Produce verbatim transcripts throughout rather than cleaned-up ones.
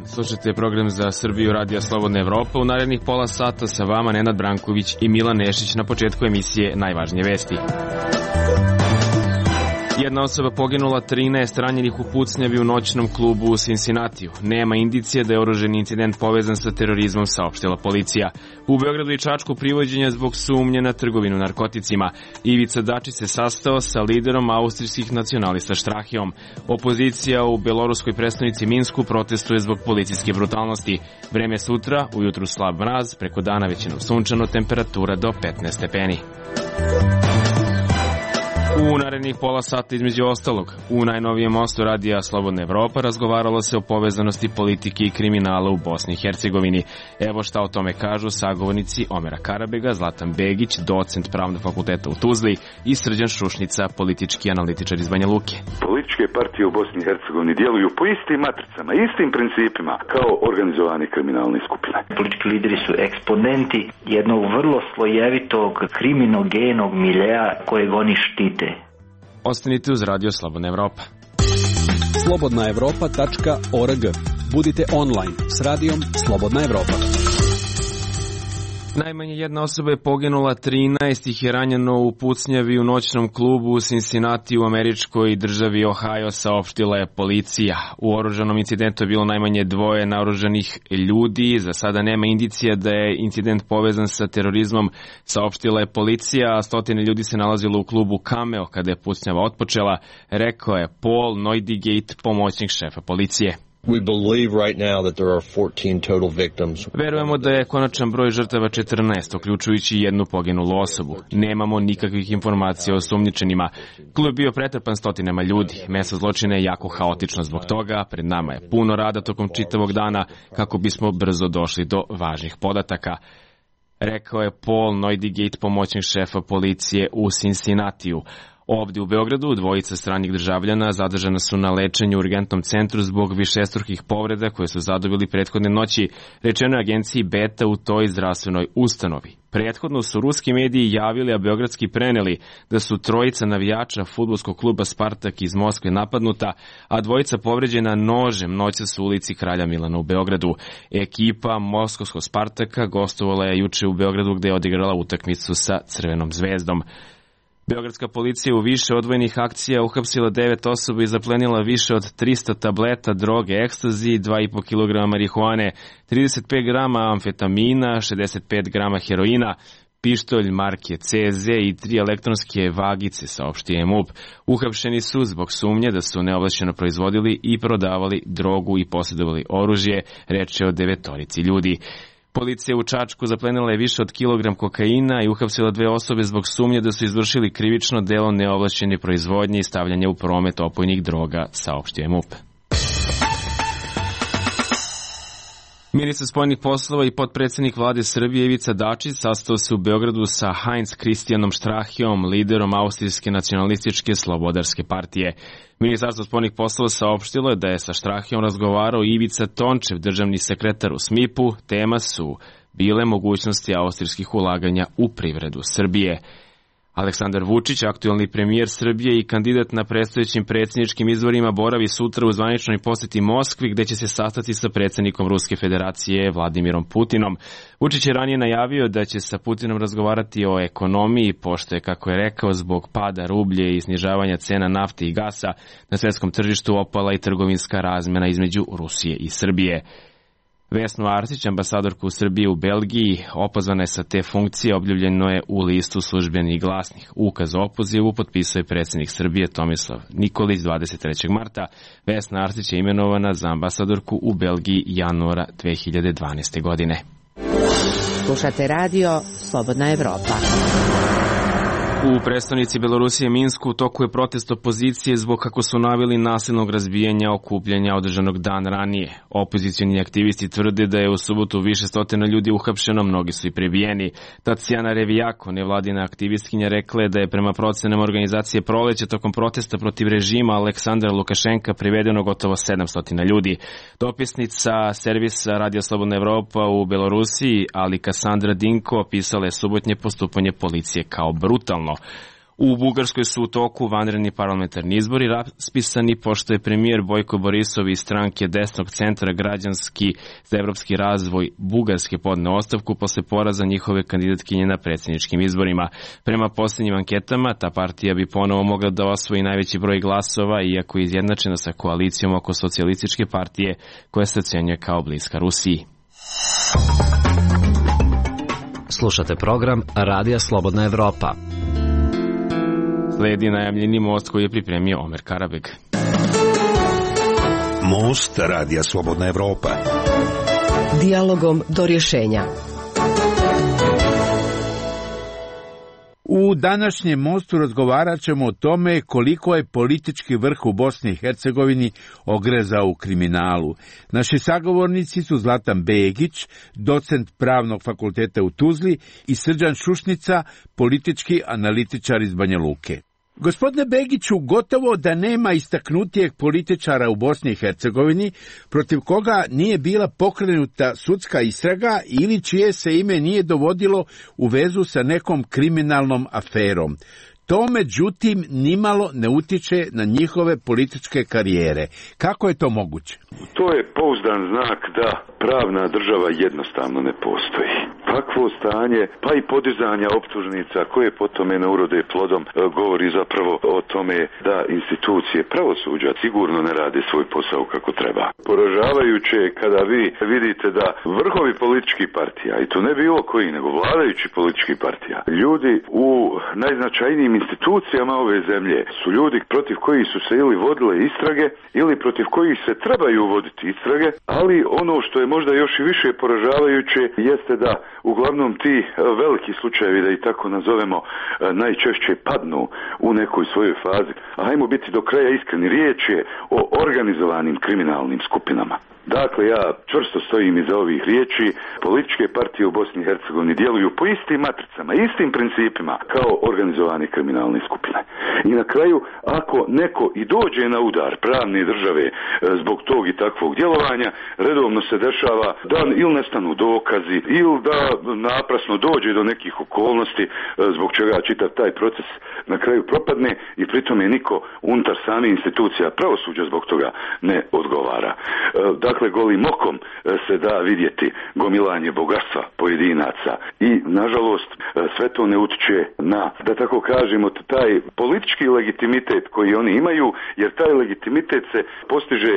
dan, slušajte program za Srbiju Radija Slobodna Evropa. U narednih pola sata sa vama Nenad Branković i Milan Nešić. Na početku emisije najvažnije vesti. Jedna osoba poginula, trinaest ranjenih u pucnjavi u noćnom klubu u Cincinnatiju. Nema indicije da je oružani incident povezan sa terorizmom, saopštila policija. U Beogradu i Čačku privođenja zbog sumnje na trgovinu narkoticima. Ivica Dačić se sastao sa liderom austrijskih nacionalista Štrahijom. Opozicija u beloruskoj prestonici Minsku protestuje zbog policijske brutalnosti. Vreme sutra, ujutru slab mraz, preko dana većinom sunčano, temperatura do petnaest stepeni. U narednih pola sata između ostalog, u najnovijem mostu Radija Slobodna Evropa razgovaralo se o povezanosti politike i kriminala u Bosni i Hercegovini. Evo šta o tome kažu sagovornici Omera Karabega, Zlatan Begić, docent Pravnog fakulteta u Tuzli i Srđan Šušnica, politički analitičar iz Banja Luke. Političke partije u Bosni i Hercegovini djeluju po istim matricama, istim principima kao organizovane kriminalne skupine. Politički lideri su eksponenti jednog vrlo slojevitog kriminogenog miljeja kojeg oni štite. Ostanite uz Radio Slobodna Evropa. slobodna evropa tačka org. Budite online s Radijom Slobodna Evropa. Najmanje jedna osoba je poginula, trinaest ih je ranjeno u pucnjavi u noćnom klubu u Cincinnati u američkoj državi Ohio, saopštila je policija. U oružanom incidentu je bilo najmanje dvoje naoružanih ljudi. Za sada nema indicija da je incident povezan sa terorizmom, saopštila je policija, a stotine ljudi se nalazilo u klubu Cameo kada je pucnjava otpočela, rekao je Paul Neudigate, pomoćnik šefa policije. We believe right now that there are fourteen total victims. Verujemo da je konačan broj žrtava četrnaest, uključujući jednu poginulu osobu. Nemamo nikakvih informacija o osumnjičenima. Klub je bio pretrpan stotinama ljudi. Mesto zločina je jako haotično zbog toga. Pred nama je puno rada tokom čitavog dana kako bismo brzo došli do važnih podataka, rekao je Paul Neudigate, pomoćnik šefa policije u Cincinnatiju. Ovdje u Beogradu dvojica stranih državljana zadržana su na lečenju u urgentnom centru zbog višestrukih povreda koje su zadobili prethodne noći, rečeno je agenciji Beta u toj zdravstvenoj ustanovi. Prethodno su ruski mediji javili, a beogradski preneli, da su trojica navijača fudbalskog kluba Spartak iz Moskve napadnuta, a dvojica povređena nožem noćas u ulici Kralja Milana u Beogradu. Ekipa moskovskog Spartaka gostovala je juče u Beogradu gde je odigrala utakmicu sa Crvenom zvezdom. Beogradska policija u više odvojenih akcija uhapsila devet osoba i zaplenila više od trista tableta droge ekstazi, dva i po kilograma marihuane, trideset pet grama amfetamina, šezdeset pet grama heroina, pištolj marke C Z i tri elektronske vagice, saopštio M U P. Uhapšeni su zbog sumnje da su neovlašćeno proizvodili i prodavali drogu i posjedovali oružje, reče o devetorici ljudi. Policija u Čačku zaplenila je više od kilogram kokaina i uhapsila dve osobe zbog sumnje da su izvršili krivično delo neovlašćene proizvodnje i stavljanja u promet opojnih droga, saopštio je M U P. Ministar spoljnih poslova i potpredsjednik vlade Srbije Ivica Dačić sastao se u Beogradu sa Heinz Christianom Štrahijom, liderom austrijske nacionalističke slobodarske partije. Ministarstvo spoljnih poslova saopštilo je da je sa Štrahijom razgovarao Ivica Tončev, državni sekretar u S M I P-u. Tema su bile mogućnosti austrijskih ulaganja u privredu Srbije. Aleksandar Vučić, aktuelni premijer Srbije i kandidat na predstojećim predsjedničkim izborima, boravi sutra u zvaničnoj posjeti Moskvi, gde će se sastati sa predsjednikom Ruske federacije Vladimirom Putinom. Vučić je ranije najavio da će sa Putinom razgovarati o ekonomiji, pošto je, kako je rekao, zbog pada rublje i snižavanja cena nafte i gasa na svjetskom tržištu opala i trgovinska razmjena između Rusije i Srbije. Vesnu Arsić, ambasadorku Srbije u Belgiji, opozvana je sa te funkcije, objavljeno je u listu Službeni glasnik. Ukaz o opozivu potpisuje predsjednik Srbije Tomislav Nikolić dvadeset trećeg marta. Vesna Arsić je imenovana za ambasadorku u Belgiji januara dve hiljade dvanaeste. godine. Slušate radio Slobodna Evropa. U prestonici Belorusije Minsku u toku je protest opozicije zbog, kako su naveli, nasilnog razbijanja okupljanja održanog dan ranije. Opozicioni aktivisti tvrde da je u subotu više stotina ljudi uhapšeno, mnogi su i prebijeni. Tacijana Revijako, nevladina aktivistkinja, rekla je da je prema procenama organizacije Proleće tokom protesta protiv režima Aleksandra Lukašenka privedeno gotovo sedamsto ljudi. Dopisnica servisa Radio Slobodna Evropa u Belorusiji, ali Kasandra Dinko, opisala je subotnje postupanje policije kao brutalno. U Bugarskoj su u toku vanredni parlamentarni izbori raspisani, pošto je premijer Bojko Borisov iz stranke desnog centra Građanski za evropski razvoj Bugarske podneo ostavku posle poraza njihove kandidatkinje na predsjedničkim izborima. Prema posljednjim anketama, ta partija bi ponovo mogla da osvoji najveći broj glasova, iako je izjednačena sa koalicijom oko socijalističke partije, koja se ocenjuje kao bliska Rusiji. Slušate program Radija Slobodna Evropa. Sledi najavljeni most koji je pripremio Omer Karabeg. Most Radija Slobodna Evropa. Dijalogom do rješenja. U današnjem mostu razgovarat ćemo o tome koliko je politički vrh u Bosni i Hercegovini ogrezao u kriminalu. Naši sagovornici su Zlatan Begić, docent Pravnog fakulteta u Tuzli, i Srđan Šušnica, politički analitičar iz Banja Luke. Gospodine Begiću, gotovo da nema istaknutijeg političara u Bosni i Hercegovini protiv koga nije bila pokrenuta sudska istraga ili čije se ime nije dovodilo u vezu sa nekom kriminalnom aferom. To, međutim, nimalo ne utiče na njihove političke karijere. Kako je to moguće? To je pouzdan znak da pravna država jednostavno ne postoji. Takvo stanje, pa i podizanja optužnica koje potome ne urode plodom, govori zapravo o tome da institucije pravosuđa sigurno ne rade svoj posao kako treba. Poražavajuće je kada vi vidite da vrhovi političkih partija, i to ne bilo koji, nego vladajući političkih partija, ljudi u najznačajnijim institucijama ove zemlje su ljudi protiv kojih su se ili vodile istrage ili protiv kojih se trebaju voditi istrage, ali ono što je možda još i više poražavajuće jeste da uglavnom ti veliki slučajevi, da i tako nazovemo, najčešće padnu u nekoj svojoj fazi. A hajmo biti do kraja iskreni, riječ je o organizovanim kriminalnim skupinama. Dakle, ja čvrsto stojim iza ovih riječi. Političke partije u Bosni i Hercegovini djeluju po istim matricama, istim principima kao organizovane kriminalne skupine. I na kraju, ako neko i dođe na udar pravne države zbog tog i takvog djelovanja, redovno se dešava da ili nestanu dokazi, ili da naprasno dođe do nekih okolnosti zbog čega čitav taj proces na kraju propadne i pritome niko unutar same institucija pravosuđa zbog toga ne odgovara. Dakle, golim okom se da vidjeti gomilanje bogatstva pojedinaca i, nažalost, sve to ne utiče na, da tako kažemo, taj politički legitimitet koji oni imaju, jer taj legitimitet se postiže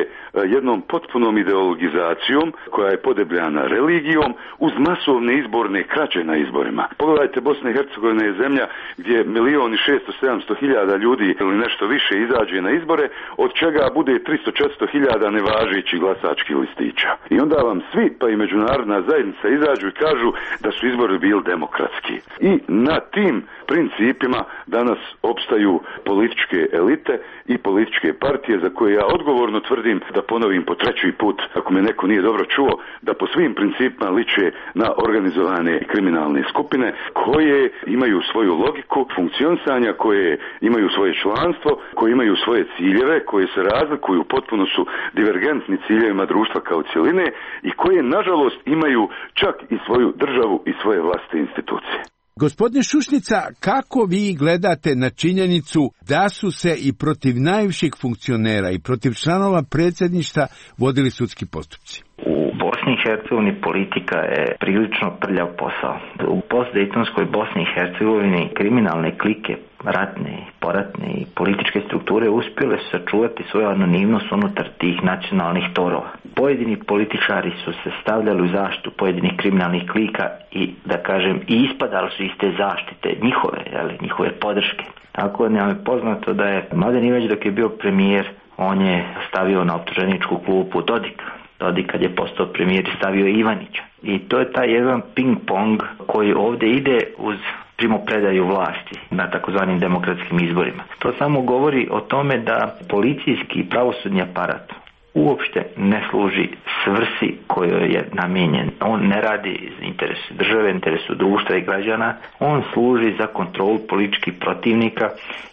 jednom potpunom ideologizacijom koja je podebljana religijom uz masovne izborne krađe na izborima. Pogledajte, Bosna i Hercegovina je zemlja gdje milion i šesto sedamsto hiljada ljudi ili nešto više izađe na izbore, od čega bude tristo četiristo hiljada nevažećih glasačkih listića. I onda vam svi, pa i međunarodna zajednica, izađu i kažu da su izbori bili demokratski. I na tim principima danas opstaju političke elite i političke partije za koje ja odgovorno tvrdim, da ponovim po treći put, ako me neko nije dobro čuo, da po svim principima liče na organizovane kriminalne skupine koje imaju svoju logiku funkcionisanja, koje imaju svoje članstvo, koje imaju svoje ciljeve, koje se razlikuju, potpuno su divergentni ciljevima društva kao cjeline i koje, nažalost, imaju čak i svoju državu i svoje vlastite institucije. Gospodine Šušnica, kako vi gledate na činjenicu da su se i protiv najviših funkcionera i protiv članova predsjedništva vodili sudski postupci? U Bosni i Hercegovini politika je prilično prljav posao. U postdejtonskoj Bosni i Hercegovini kriminalne klike, ratne, poratne i političke strukture uspjele su sačuvati svoju anonimnost unutar tih nacionalnih torova. Pojedini političari su se stavljali u zaštitu pojedinih kriminalnih klika i, da kažem, i ispadali su iz te zaštite njihove, jeli, njihove podrške. Tako nam je poznato da je Mladen Ivanić, dok je bio premijer, on je stavio na optuženičku klupu Dodika. Dodik, kad je postao premijer, stavio Ivanića. I to je taj jedan ping-pong koji ovdje ide uz primopredaju vlasti na takozvanim demokratskim izborima. To samo govori o tome da policijski i pravosudni aparat uopšte ne služi svrsi kojoj je namijenjen. On ne radi za interesu države, interesu društva i građana, on služi za kontrolu političkih protivnika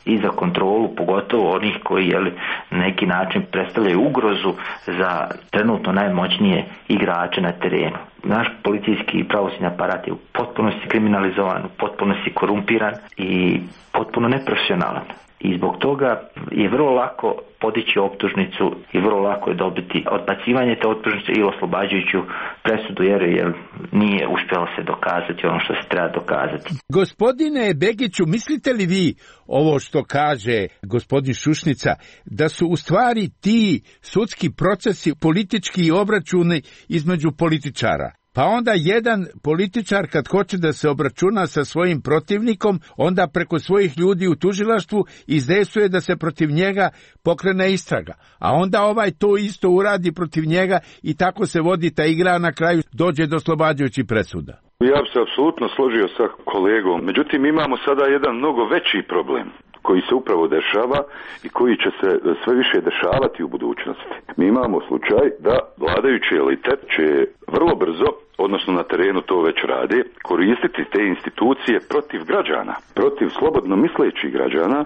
i za kontrolu pogotovo onih koji jeli, na neki način predstavljaju ugrozu za trenutno najmoćnije igrače na terenu. Naš policijski i pravosudni aparat je u potpunosti kriminalizovan, u potpunosti korumpiran i potpuno neprofesionalan. I zbog toga je vrlo lako podići optužnicu i vrlo lako je dobiti odbacivanje te optužnice ili oslobađajuću presudu jer, jer nije uspjelo se dokazati ono što se treba dokazati. Gospodine Begiću, mislite li vi ovo što kaže gospodin Šušnica, da su u stvari ti sudski procesi politički obračuni između političara? Pa onda jedan političar kad hoće da se obračuna sa svojim protivnikom, onda preko svojih ljudi u tužilaštvu izdejstvuje da se protiv njega pokrene istraga. A onda ovaj to isto uradi protiv njega i tako se vodi ta igra, na kraju dođe do oslobađajućih presuda. Ja bi se apsolutno složio sa kolegom. Međutim, imamo sada jedan mnogo veći problem koji se upravo dešava i koji će se sve više dešavati u budućnosti. Mi imamo slučaj da vladajući elitet će vrlo brzo, odnosno na terenu to već rade, koristiti te institucije protiv građana, protiv slobodno mislećih građana,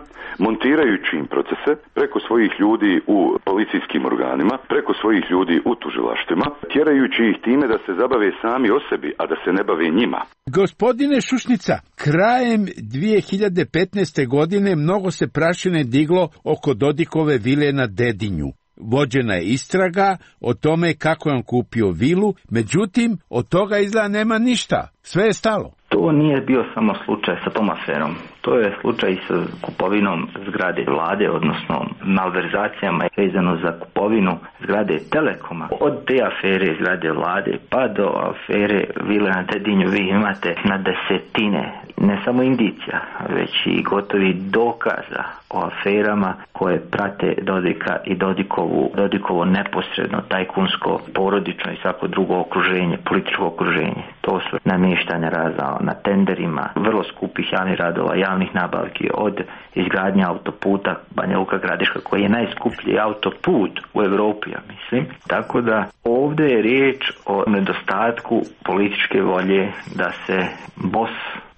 montirajući im procese preko svojih ljudi u policijskim organima, preko svojih ljudi u tužilaštvima, tjerajući ih time da se zabave sami o sebi, a da se ne bave njima. Gospodine Šušnica, krajem dvije hiljade petnaeste godine mnogo se prašine diglo oko Dodikove vile na Dedinju. Vođena je istraga o tome kako je on kupio vilu, međutim, od toga izgleda nema ništa. Sve je stalo. To nije bio samo slučaj sa tom aferom. To je slučaj i sa kupovinom zgrade vlade, odnosno malverzacijama vezano za kupovinu zgrade Telekoma. Od te afere zgrade vlade pa do afere vile na Dedinju vi imate na desetine, ne samo indicija, već i gotovi dokaza o aferama koje prate Dodika i Dodikovu, Dodikovo neposredno, tajkunsko, porodično i svako drugo okruženje, političko okruženje. To su namještanja razna na tenderima, vrlo skupih javnih radova, javnih nabavki, od izgradnje autoputa Banja Luka Gradiška, koji je najskuplji autoput u Europi, ja mislim. Tako da ovdje je riječ o nedostatku političke volje da se bos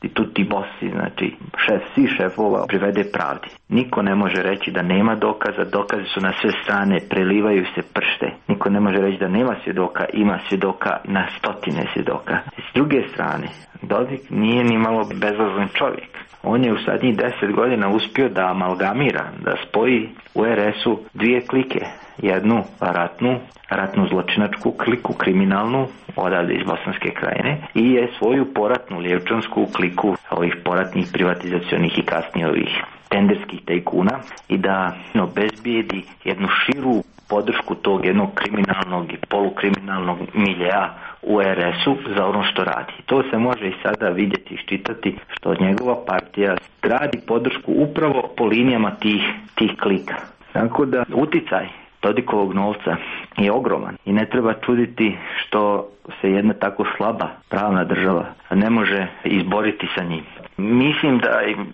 i tutti bossi, znači šef svih šefova, privede pravdi. Niko ne može reći da nema dokaza, dokazi su na sve strane, prelivaju se pršte. Niko ne može reći da nema svjedoka, ima svjedoka na stotine svjedoka. S druge strane, Dodik nije ni malo bezazlen čovjek. On je u zadnjih deset godina uspio da amalgamira, da spoji u er es-u dvije klike. Jednu ratnu, ratnu zločinačku kliku, kriminalnu, odavde iz Bosanske Krajine, i je svoju poratnu lijevčansku kliku ovih poratnih privatizacionih i kasnije ovih tenderskih tajkuna i da obezbijedi jednu širu podršku tog jednog kriminalnog i polukriminalnog miljeja u er es-u za ono što radi. To se može i sada vidjeti i iščitati što njegova partija gradi podršku upravo po linijama tih, tih klika. Tako da uticaj Dodikovog novca je ogroman i ne treba čuditi što se jedna tako slaba pravna država ne može izboriti sa njim. Mislim da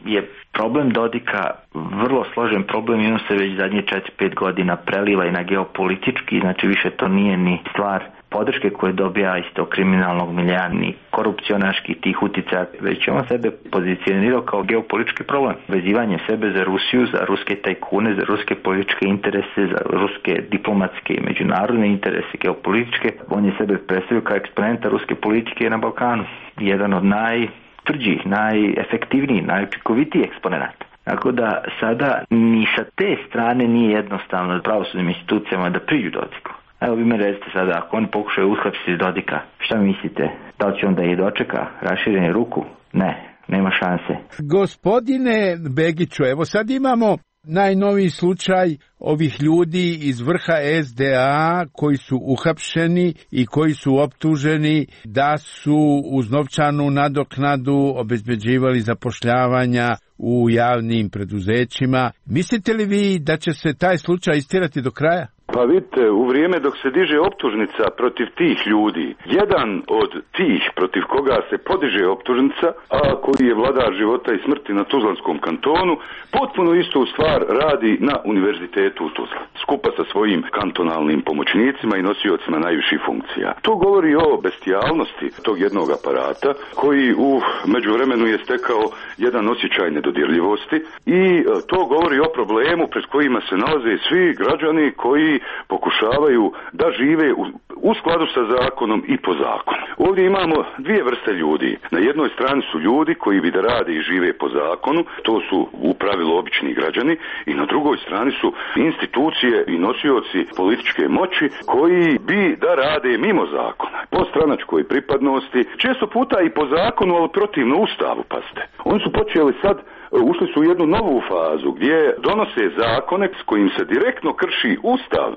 je problem Dodika vrlo složen problem i on se već zadnje četiri pet godina preliva i na geopolitički, znači više to nije ni stvar podrške koje dobija iz tog kriminalnog miljeja, ni korupcionaških tih uticaja, već on sebe pozicionirao kao geopolitički problem. Vezivanje sebe za Rusiju, za ruske tajkune, za ruske političke interese, za ruske diplomatske i međunarodne interese geopolitičke. On je sebe predstavio kao eksponenta ruske politike na Balkanu. Jedan od najtvrđih, najefektivnijih, najučinkovitijih eksponenata. Tako da sada ni sa te strane nije jednostavno pravosudnim institucijama da priđu Dodiku. Evo vi me recite sada, ako on pokušaju uhapsiti Dodika, šta mislite? Da li će onda i dočeka raširenu ruku? Ne, nema šanse. Gospodine Begiću, evo sad imamo najnoviji slučaj ovih ljudi iz vrha es de a koji su uhapšeni i koji su optuženi da su uz novčanu nadoknadu obezbeđivali zapošljavanja u javnim preduzećima. Mislite li vi da će se taj slučaj istirati do kraja? Pa vidite, u vrijeme dok se diže optužnica protiv tih ljudi, jedan od tih protiv koga se podiže optužnica, a koji je vladar života i smrti na Tuzlanskom kantonu, potpuno istu stvar radi na Univerzitetu u Tuzli, skupa sa svojim kantonalnim pomoćnicima i nosiocima najviših funkcija. To govori o bestijalnosti tog jednog aparata, koji u međuvremenu je stekao jedan osjećaj nedodirljivosti i to govori o problemu pred kojima se nalaze svi građani koji pokušavaju da žive u, u skladu sa zakonom i po zakonu. Ovdje imamo dvije vrste ljudi. Na jednoj strani su ljudi koji bi da rade i žive po zakonu, to su u pravilu obični građani, i na drugoj strani su institucije i nosioci političke moći koji bi da rade mimo zakona, po stranačkoj pripadnosti, često puta i po zakonu, ali protivno Ustavu, pazite. Oni su počeli sad, ušli su u jednu novu fazu gdje donose zakone s kojim se direktno krši Ustav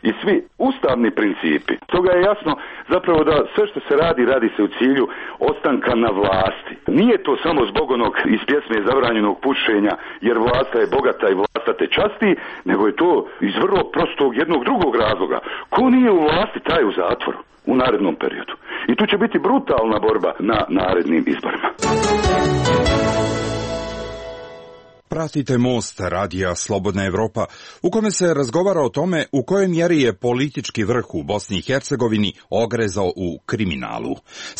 i svi ustavni principi. Toga je jasno zapravo da sve što se radi, radi se u cilju ostanka na vlasti. Nije to samo zbog onog iz pjesme zabranjenog pušenja, jer vlasta je bogata i vlasta te časti, nego je to iz vrlo prostog jednog drugog razloga. Ko nije u vlasti, taj u zatvoru u narednom periodu. I tu će biti brutalna borba na narednim izborima. Pratite Most, radija Slobodna Evropa, u kome se razgovara o tome u kojoj mjeri je politički vrh u Bosni i Hercegovini ogrezao u kriminalu.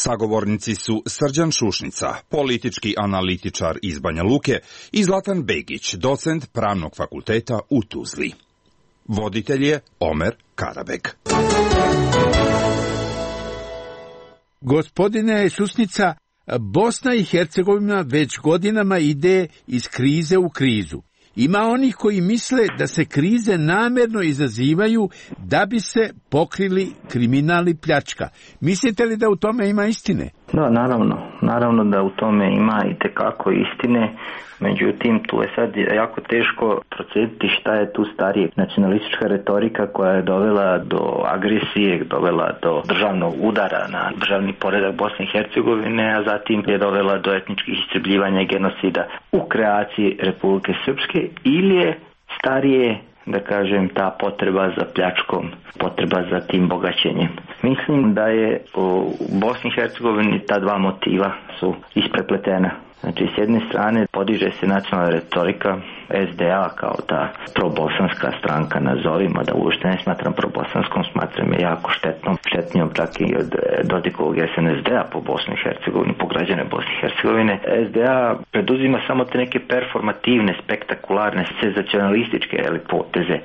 Sagovornici su Srđan Šušnica, politički analitičar iz Banja Luke, i Zlatan Begić, docent Pravnog fakulteta u Tuzli. Voditelj je Omer Karabek. Gospodine Šušnica, Bosna i Hercegovina već godinama ide iz krize u krizu. Ima onih koji misle da se krize namjerno izazivaju da bi se pokrili kriminal i pljačka. Mislite li da u tome ima istine? Da, naravno. Naravno da u tome ima i tekako istine. Međutim, tu je sad jako teško procijeniti šta je tu starije. Nacionalistička retorika koja je dovela do agresije, dovela do državnog udara na državni poredak Bosne i Hercegovine, a zatim je dovela do etničkih istrebljivanja i genocida u kreaciji Republike Srpske, ili je starije, da kažem, ta potreba za pljačkom, potreba za tim bogaćenjem. Mislim da je u Bosni i Hercegovini ta dva motiva su isprepletena. Znači, s jedne strane podiže se nacionalna retorika S D A kao ta probosanska stranka, nazovimo, da uopšte ne smatram probosanskom, smatram je jako štetnom, štetnijom čak i od Dodikovog S N S D-a po Bosni i Hercegovini, po građane Bosne i Hercegovine. S D A preduzima samo te neke performativne, spektakularne, senzacionalističke poteze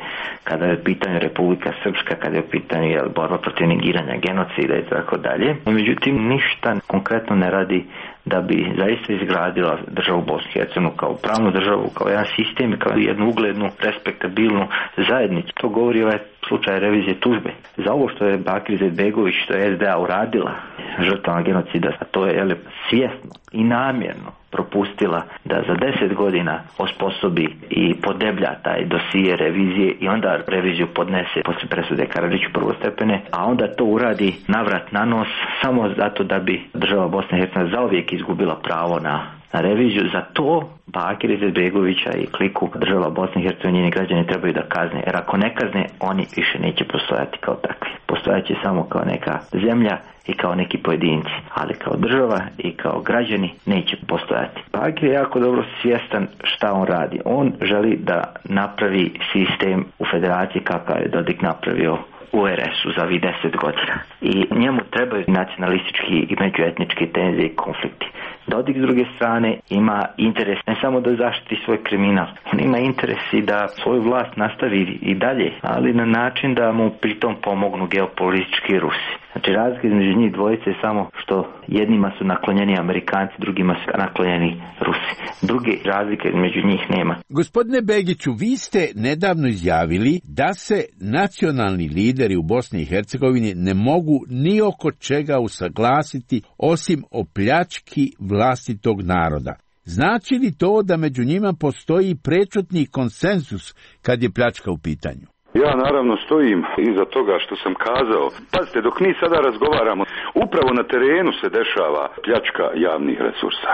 kada je u pitanju Republika Srpska, kada je u pitanju jel, borba protiv negiranja, genocida i tako dalje. Međutim, ništa konkretno ne radi da bi zaista izgradila državu Bosnu i Hercegovinu kao pravnu državu, kao jedan sistem, kao jednu uglednu, respektabilnu zajednicu. To govori ovaj slučaj revizije tužbe. Za ovo što je Bakir Izetbegović, što je S D A uradila žrtvama genocida, a to je jel, svjesno i namjerno propustila da za deset godina osposobi i podeblja taj dosije revizije i onda reviziju podnese posle presude Karadžiću prvostepene, a onda to uradi navrat na nos samo zato da bi država Bosne i Hercegovine zauvijek izgubila pravo na na reviziju. Za to Bakir Izetbegovića i kliku država Bosne i Hercegovine, njeni građani trebaju da kazne, jer ako ne kazne, oni više neće postojati kao takvi. Postojaće samo kao neka zemlja i kao neki pojedinci, ali kao država i kao građani neće postojati. Bakir je jako dobro svjestan šta on radi. On želi da napravi sistem u federaciji kakav je Dodik napravio u R S-u za ovih deset godina. I njemu trebaju nacionalistički i međuetnički tenzije i konflikti. Dodik s druge strane ima interes ne samo da zaštiti svoj kriminal, on ima interes i da svoju vlast nastavi i dalje, ali na način da mu pritom pomognu geopolitički Rusi. Znači razlika između njih dvojice je samo što jednima su naklonjeni Amerikanci, drugima su naklonjeni Rusi. Druge razlike između njih nema. Gospodine Begiću, vi ste nedavno izjavili da se nacionalni lideri u Bosni i Hercegovini ne mogu ni oko čega usaglasiti osim o pljački vlastitog naroda. Znači li to da među njima postoji prečutni konsenzus kad je pljačka u pitanju? Ja naravno stojim iza toga što sam kazao. Pazite, dok mi sada razgovaramo, upravo na terenu se dešava pljačka javnih resursa,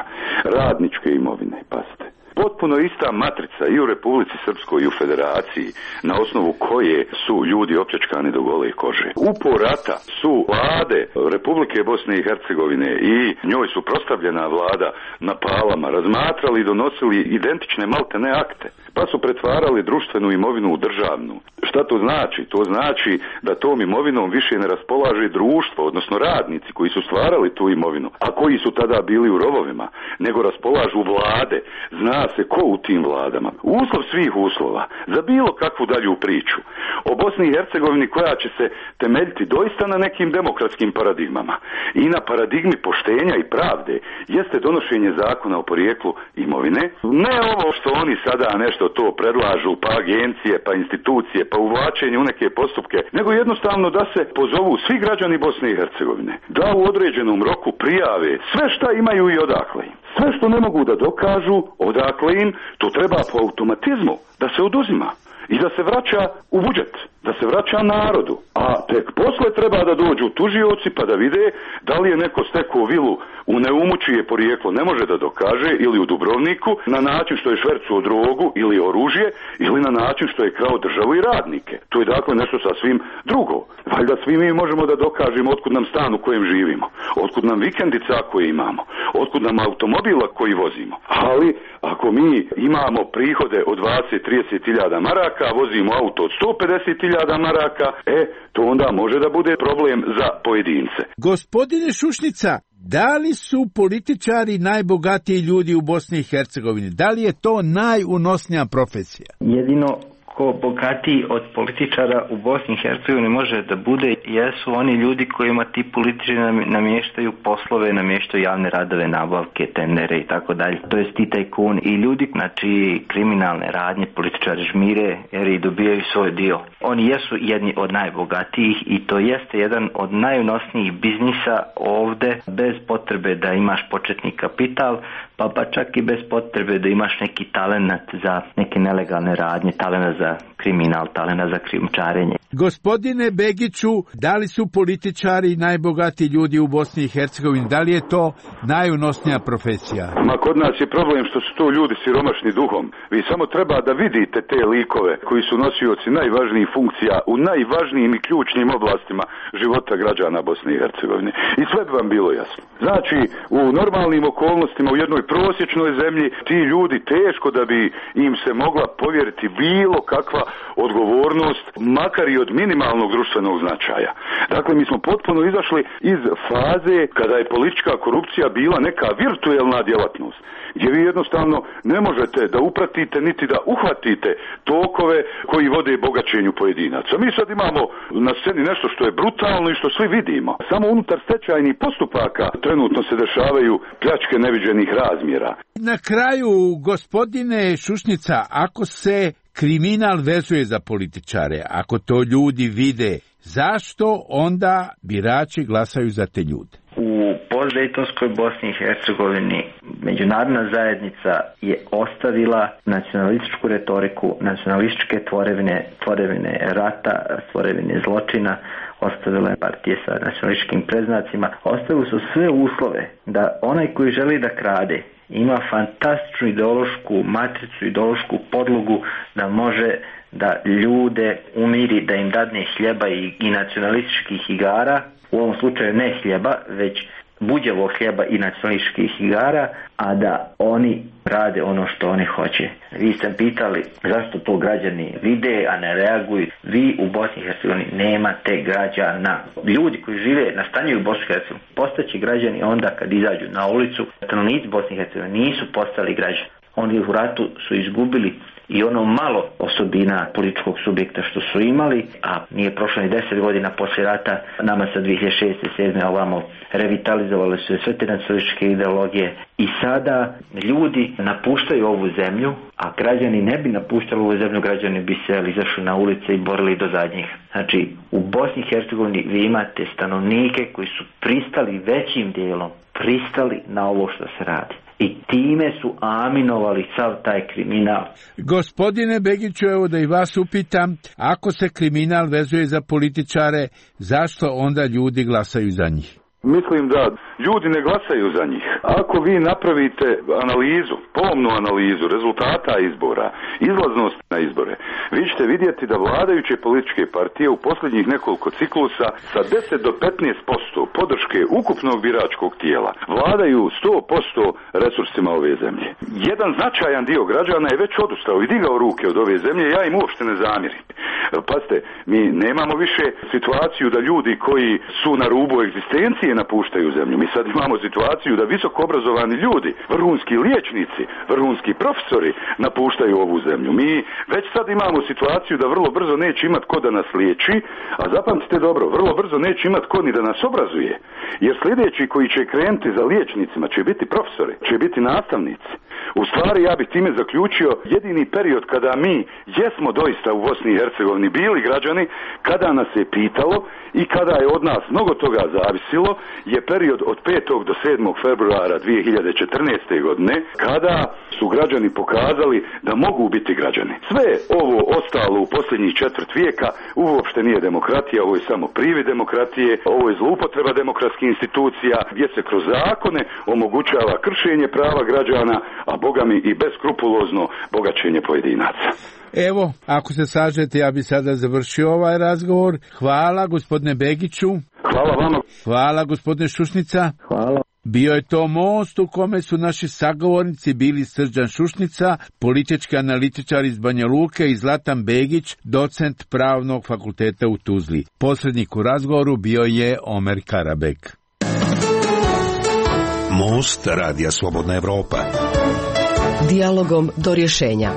radničke imovine, pazite. Potpuno ista matrica i u Republici Srpskoj i u Federaciji, na osnovu koje su ljudi opljačkani do gole kože. U porata su vlade Republike Bosne i Hercegovine i njoj su prostavljena vlada na palama razmatrali i donosili identične maltene akte, pa su pretvarali društvenu imovinu u državnu. Šta to znači? To znači da tom imovinom više ne raspolaže društvo, odnosno radnici koji su stvarali tu imovinu, a koji su tada bili u rovovima, nego raspolažu vlade. Zna se ko u tim vladama. Uslov svih uslova za bilo kakvu dalju priču o Bosni i Hercegovini koja će se temeljiti doista na nekim demokratskim paradigmama i na paradigmi poštenja i pravde jeste donošenje zakona o porijeklu imovine. Ne ovo što oni sada nešto to predlažu, pa agencije, pa institucije, pa uvlačenje u neke postupke, nego jednostavno da se pozovu svi građani Bosne i Hercegovine, da u određenom roku prijave sve šta imaju i odakle im. Sve što ne mogu da dokažu, odakle im, to treba po automatizmu da se oduzima i da se vraća u budžet, da se vraća narodu. A tek posle treba da dođu tužioci pa da vide da li je neko stekao vilu u Neumu čije porijeklo ne može da dokaže, ili u Dubrovniku na način što je švercuo drogu ili oružje, ili na način što je krao državu i radnike. To je dakle nešto sasvim drugo. Valjda svi mi možemo da dokažemo otkud nam stan u kojem živimo, otkud nam vikendica koje imamo, otkud nam automobila koji vozimo. Ali ako mi imamo prihode od dvadeset do trideset hiljada maraka, vozimo auto od sto pedeset hiljada maraka, e, to onda može da bude problem za pojedince. Gospodine Šušnica, da li su političari najbogatiji ljudi u Bosni i Hercegovini? Da li je to najunosnija profesija? Jedino ko bogatiji od političara u Bosni i Hercegovini može da bude jesu oni ljudi kojima ti političari namještaju poslove, namještaju javne radove, nabavke, tendere i tako dalje. To jest ti tajkuni i ljudi, znači kriminalne radnje, političari žmire jer i dobijaju svoj dio. Oni jesu jedni od najbogatijih i to jeste jedan od najunosnijih biznisa ovde, bez potrebe da imaš početni kapital, pa pa čak i bez potrebe da imaš neki talenat za neke nelegalne radnje, talenat za kriminal, talena za krijumčarenje. Gospodine Begiću, da li su političari najbogatiji ljudi u Bosni i Hercegovini? Da li je to najunosnija profesija? Ma kod nas je problem što su to ljudi siromašni duhom. Vi samo treba da vidite te likove koji su nosioci najvažnijih funkcija u najvažnijim i ključnim oblastima života građana Bosne i Hercegovine. I sve bi vam bilo jasno. Znači, u normalnim okolnostima u jednoj prosječnoj zemlji ti ljudi teško da bi im se mogla povjeriti bilo kakva odgovornost, makar i od minimalnog društvenog značaja. Dakle, mi smo potpuno izašli iz faze kada je politička korupcija bila neka virtuelna djelatnost, gdje vi jednostavno ne možete da upratite niti da uhvatite tokove koji vode bogaćenju pojedinaca. Mi sad imamo na sceni nešto što je brutalno i što svi vidimo. Samo unutar stečajnih postupaka trenutno se dešavaju pljačke neviđenih razmjera. Na kraju, gospodine Šušnica, ako se kriminal vezuje za političare, ako to ljudi vide, zašto onda birači glasaju za te ljude? U postdejtonskoj Bosni i Hercegovini međunarodna zajednica je ostavila nacionalističku retoriku, nacionalističke tvorevine, tvorevine rata, tvorevine zločina, ostavila je partije sa nacionalističkim predznacima, ostavili su sve uslove da onaj koji želi da krade ima fantastičnu ideološku matricu, ideološku podlogu da može da ljude umiri, da im dadne hljeba i, i nacionalističkih igara, u ovom slučaju ne hljeba, već buđevog hljeba i nacionalističkih igara, a da oni rade ono što oni hoće. Vi ste pitali zašto to građani vide, a ne reaguju. Vi u Bosni i Hercegovini nemate građana. Ljudi koji žive, nastanjuju u Bosni i Hercegovini, postaće građani onda kad izađu na ulicu. Stanovnici Bosne i Hercegovine nisu postali građani. Oni u ratu su izgubili i ono malo osobina političkog subjekta što su imali, a nije prošlo ni deset godina poslije rata, nama sa dvije hiljade šeste sedme ovamo revitalizovali su sve te nacionalističke ideologije i sada ljudi napuštaju ovu zemlju, a građani ne bi napuštali ovu zemlju, građani bi se izašli na ulice i borili do zadnjih. Znači, u Bosni i Hercegovini vi imate stanovnike koji su pristali većim dijelom, pristali na ovo što se radi. I time su aminovali sav taj kriminal. Gospodine Begiću, evo da i vas upitam, ako se kriminal vezuje za političare, zašto onda ljudi glasaju za njih? Mislim da ljudi ne glasaju za njih. Ako vi napravite analizu, pomnu analizu rezultata izbora, izlaznost na izbore, vi ćete vidjeti da vladajuće političke partije u posljednjih nekoliko ciklusa sa deset do petnaest posto podrške ukupnog biračkog tijela vladaju sto posto resursima ove zemlje. Jedan značajan dio građana je već odustao i digao ruke od ove zemlje, ja im uopšte ne zamjerim. Pazite, mi nemamo više situaciju da ljudi koji su na rubu egzistencije napuštaju zemlju. Mi sad imamo situaciju da visoko obrazovani ljudi, vrhunski liječnici, vrhunski profesori napuštaju ovu zemlju. Mi već sad imamo situaciju da vrlo brzo neće imat ko da nas liječi, a zapamtite dobro, vrlo brzo neće imat ko ni da nas obrazuje. Jer sljedeći koji će krenuti za liječnicima će biti profesori, će biti nastavnici. U stvari ja bih time zaključio jedini period kada mi jesmo doista u Bosni i Hercegovini bili građani, kada nas je pitalo i kada je od nas mnogo toga zavisilo, je period od petog do sedmog februara dvije hiljade četrnaeste. godine, kada su građani pokazali da mogu biti građani. Sve ovo ostalo u posljednjih četvrt vijeka uopšte nije demokratija, ovo je samo privid demokratije, ovo je zloupotreba demokratskih institucija gdje se kroz zakone omogućava kršenje prava građana, a bogami i beskrupulozno bogaćenje pojedinaca. Evo, ako se sažete, ja bi sada završio ovaj razgovor. Hvala gospodine Begiću. Hvala vama. Hvala gospodine Šušnica. Hvala. Bio je to most u kome su naši sagovornici bili Srđan Šušnica, politički analitičar iz Banja Luke, i Zlatan Begić, docent Pravnog fakulteta u Tuzli. Posrednik u razgovoru bio je Omer Karabek. Most Radija Slobodna Evropa. Dijalogom do rješenja.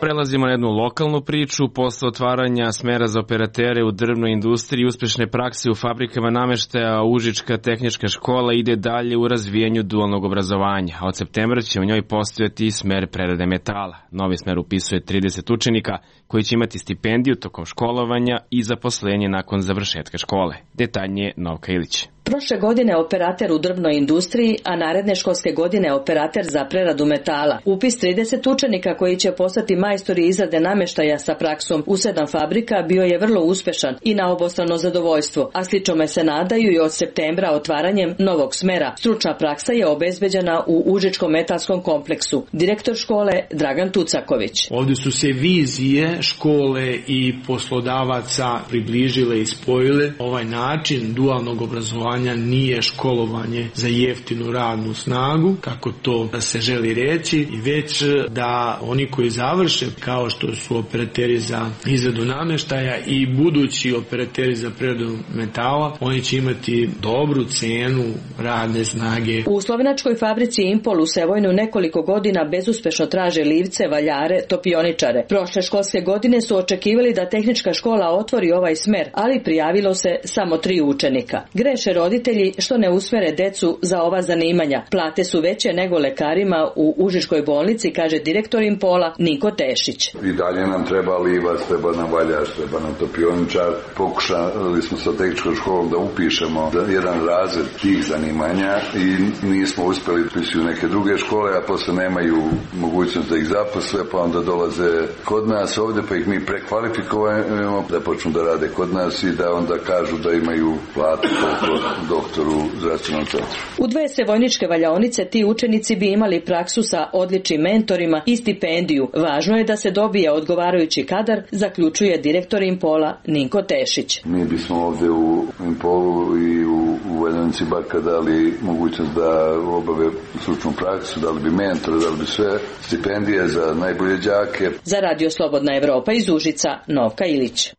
Prelazimo na jednu lokalnu priču. Posle otvaranja smera za operatere u drvnoj industriji i uspešne prakse u fabrikama nameštaja, Užička tehnička škola ide dalje u razvijanju dualnog obrazovanja, a od septembra će u njoj postojati i smer prerade metala. Novi smer upisuje trideset učenika koji će imati stipendiju tokom školovanja i zaposlenje nakon završetka škole. Detaljnije Novka Ilić. Prošle godine operater u drvnoj industriji, a naredne školske godine operater za preradu metala. Upis trideset učenika koji će postati majstori izrade nameštaja sa praksom u sedam fabrika bio je vrlo uspešan i na obostrano zadovoljstvo, a sličome se nadaju i od septembra otvaranjem novog smera. Stručna praksa je obezbeđena u Užičkom metalskom kompleksu. Direktor škole Dragan Tucaković. Ovdje su se vizije škole i poslodavaca približile i spojile. Ovaj način dualnog obrazovanja nije školovanje za jeftinu radnu snagu, kako to da se želi reći, i već da oni koji završe, kao što su operateri za izradu namještaja i budući operateri za preradu metala, oni će imati dobru cenu radne snage. U slovenačkoj fabrici Impol u Sevojnu nekoliko godina bezuspešno traže livce, valjare, topioničare. Prošle školske godine su očekivali da tehnička škola otvori ovaj smer, ali prijavilo se samo tri učenika. Greše roditelji što ne usmere decu za ova zanimanja. Plate su veće nego lekarima u Užičkoj bolnici, kaže direktor Impola Niko Tešić. I dalje nam treba livac, treba nam valjač, treba nam topioničar. Pokušali smo sa tehničkom školom da upišemo jedan razred tih zanimanja i nismo uspjeli upisuju neke druge škole, a posle nemaju mogućnost da ih zaposle, pa onda dolaze kod nas ovdje, pa ih mi prekvalifikujemo da počnu da rade kod nas i da onda kažu da imaju platu koliko doktoru zdravstvenom centru. U dve sevojničke valjaonice ti učenici bi imali praksu sa odličnim mentorima i stipendiju. Važno je da se dobije odgovarajući kadar, zaključuje direktor Impola Ninko Tešić. Mi bismo ovdje u Impolu i u, u Valjanici Baka dali mogućnost da obave stručnu praksu, dali bi mentora, dali bi sve stipendije za najbolje đake. Za Radio Slobodna Evropa iz Užica, Novka Ilić.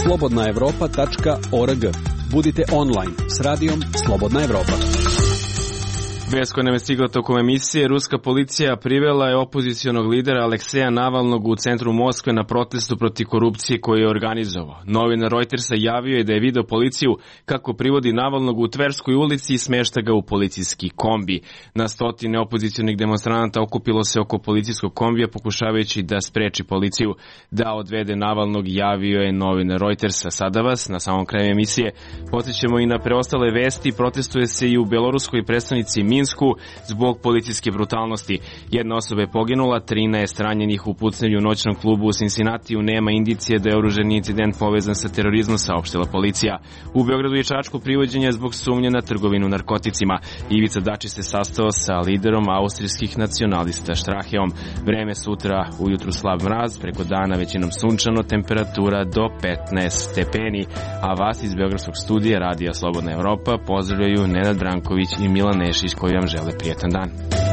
slobodna evropa tačka org. Budite online s radijom Slobodna Evropa. Vest koja nam je stigla tokom emisije, ruska policija privela je opozicionog lidera Alekseja Navalnog u centru Moskve na protestu protiv korupcije koju je organizovao. Novinar Reutersa javio je da je video policiju kako privodi Navalnog u Tverskoj ulici i smešta ga u policijski kombi. Na stotine opozicionih demonstranata okupilo se oko policijskog kombija pokušavajući da spreči policiju da odvede Navalnog, javio je novinar Reutersa. Sada vas, na samom kraju emisije, podsjećamo i na preostale vesti. Protestuje se i u beloruskoj prestonici Minsku zbog policijske brutalnosti. Jedna osoba je poginula, trinaest ranjenih u pucnjenju u noćnom klubu u Cincinnatiju. Nema indicije da je oružani incident povezan sa terorizmom, saopštila policija. U Beogradu i Čačku privođen je zbog sumnje na trgovinu narkoticima. Ivica Dačić se sastao sa liderom austrijskih nacionalista Straheom. Vreme sutra ujutru slab mraz, preko dana većinom sunčano, temperatura do petnaest stepeni. A vas iz Beogradskog studija Radija Slobodna Evropa pozdravljaju Nenad Branković i Milan Nešić koji vam žele prijetan dan.